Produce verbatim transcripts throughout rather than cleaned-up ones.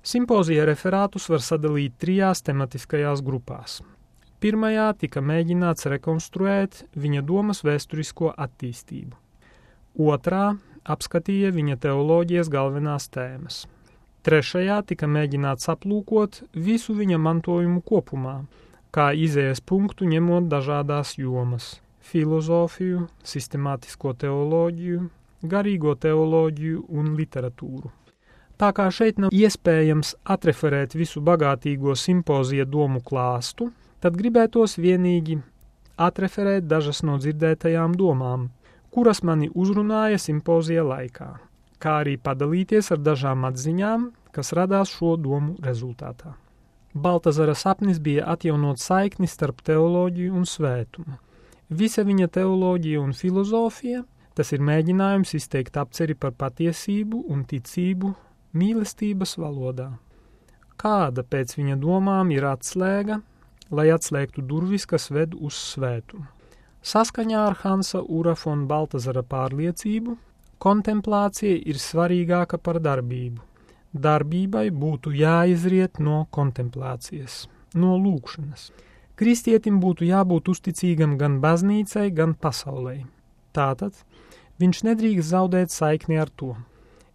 Simpozija referātus var sadalīt trijās tematiskajās grupās. Pirmajā tika mēģināts rekonstruēt viņa domas vēsturisko attīstību. Otrā apskatīja viņa teoloģijas galvenās tēmas. Trešajā tika mēģināts aplūkot visu viņa mantojumu kopumā, kā izējas punktu ņemot dažādās jomas – filozofiju, sistemātisko teoloģiju, garīgo teoloģiju un literatūru. Tā kā šeit nav iespējams atreferēt visu bagātīgo simpozija domu klāstu, tad gribētos vienīgi atreferēt dažas no dzirdētajām domām, kuras mani uzrunāja simpozija laikā, kā arī padalīties ar dažām atziņām, kas radās šo domu rezultātā. Baltazara sapnis bija atjaunot saikni starp teoloģiju un svētumu. Visa viņa teoloģija un filozofija, tas ir mēģinājums izteikt apceri par patiesību un ticību mīlestības valodā. Kāda pēc viņa domām ir atslēga, lai atslēgtu durvis, kas ved uz svētumu? Saskaņā ar Hansa Ura von Baltazara pārliecību, kontemplācija ir svarīgāka par darbību. Darbībai būtu jāizriet no kontemplācijas, no lūkšanas. Kristietim būtu jābūt uzticīgam gan baznīcai, gan pasaulei. Tātad viņš nedrīkst zaudēt saikni ar to.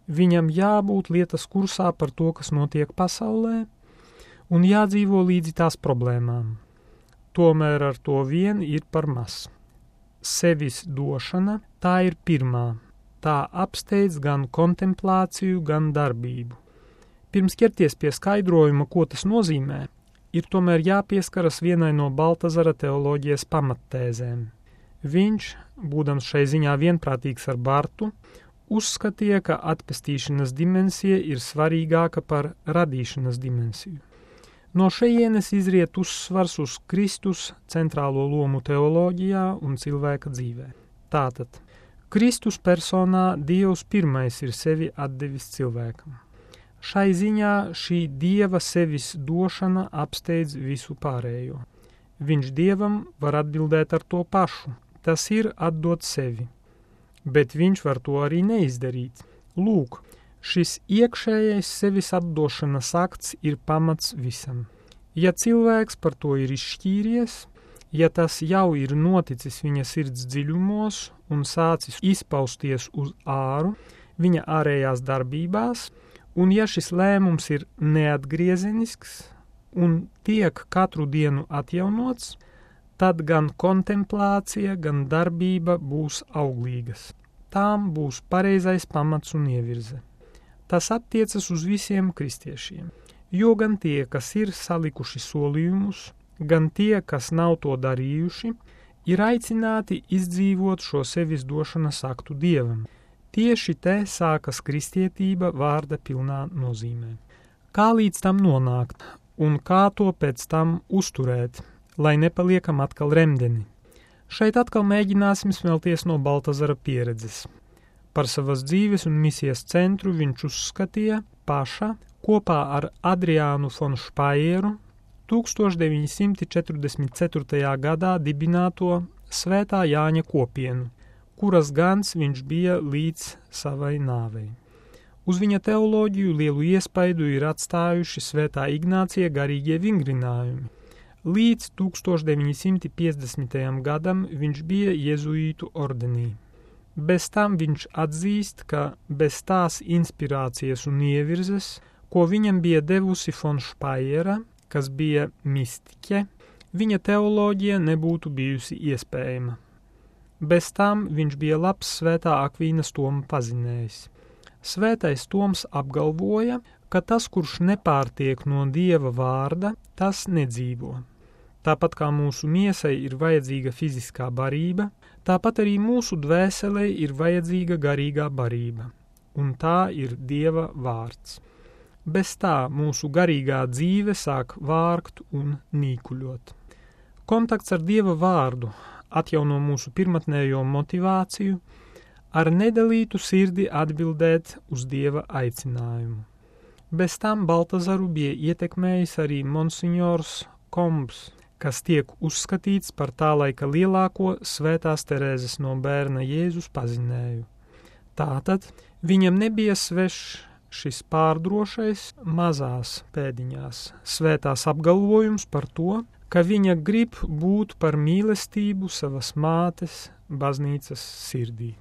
Viņam jābūt lietas kursā par to, kas notiek pasaulē, un jādzīvo līdzi tās problēmām. Tomēr ar to vien ir par maz. Sevis došana, tā ir pirmā. Tā apsteidz gan kontemplāciju, gan darbību. Pirms ķerties pie skaidrojuma, ko tas nozīmē, ir tomēr jāpieskaras vienai no Baltazara teoloģijas pamattēzēm. Viņš, būdams šai ziņā vienprātīgs ar Bartu, uzskatīja, ka atpestīšanas dimensija ir svarīgāka par radīšanas dimensiju. No šejienes izriet uzsvars uz Kristus centrālo lomu teoloģijā un cilvēka dzīvē. Tātad, Kristus personā Dievs pirmais ir sevi atdevis cilvēkam. Šai ziņā šī Dieva sevis došana apsteidz visu pārējo. Viņš Dievam var atbildēt ar to pašu, tas ir atdot sevi. Bet viņš var to arī neizdarīt. Lūk, šis iekšējais sevis atdošanas akts ir pamats visam. Ja cilvēks par to ir izšķīries, ja tas jau ir noticis viņa sirds dziļumos un sācis izpausties uz āru viņa ārējās darbībās, un ja šis lēmums ir neatgriezenisks un tiek katru dienu atjaunots, tad gan kontemplācija, gan darbība būs auglīgas. Tām būs pareizais pamats un ievirze. Tas attiecas uz visiem kristiešiem, jo gan tie, kas ir salikuši solījumus, gan tie, kas nav to darījuši, ir aicināti izdzīvot šo sevis došanas aktu Dievam. Tieši te sākas kristietība vārda pilnā nozīmē. Kā līdz tam nonākt un kā to pēc tam uzturēt, lai nepaliekam atkal remdeni? Šeit atkal mēģināsim smelties no Baltazara pieredzes. Par savas dzīves un misijas centru viņš uzskatīja paša kopā ar Adriānu von Špaieru tūkstoš deviņi simti četrdesmit ceturtajā gadā dibināto Svētā Jāņa kopienu, kuras gans viņš bija līdz savai nāvei. Uz viņa teoloģiju lielu iespaidu ir atstājuši Svētā Ignācija garīgie vingrinājumi. Līdz tūkstoš deviņi simti piecdesmitajam gadam viņš bija jezuītu ordenī. Bez tam viņš atzīst, ka bez tās inspirācijas un ievirzes, ko viņam bija devusi von Špaiera, kas bija mistiķe, viņa teoloģija nebūtu bijusi iespējama. Bez tam viņš bija labs Svētā Akvīnas Toma pazinējs. Svētais Toms apgalvoja, ka tas, kurš nepārtiek no Dieva vārda, tas nedzīvo. Tāpat kā mūsu miesai ir vajadzīga fiziskā barība, tāpat arī mūsu dvēselei ir vajadzīga garīgā barība, un tā ir Dieva vārds. Bez tā mūsu garīgā dzīve sāk vārgt un nīkuļot. Kontakts ar Dieva vārdu atjauno mūsu pirmatnējo motivāciju, ar nedalītu sirdi atbildēt uz Dieva aicinājumu. Bez tam Baltazaru bija ietekmējis arī monsignors Kombs, kas tiek uzskatīts par tā laika lielāko Svētās Terēzes no bērna Jēzus pazinēju. Tātad viņam nebija svešs šis pārdrošais, mazās pēdiņās svētās apgalvojums par to, ka viņa grib būt par mīlestību savas mātes baznīcas sirdī.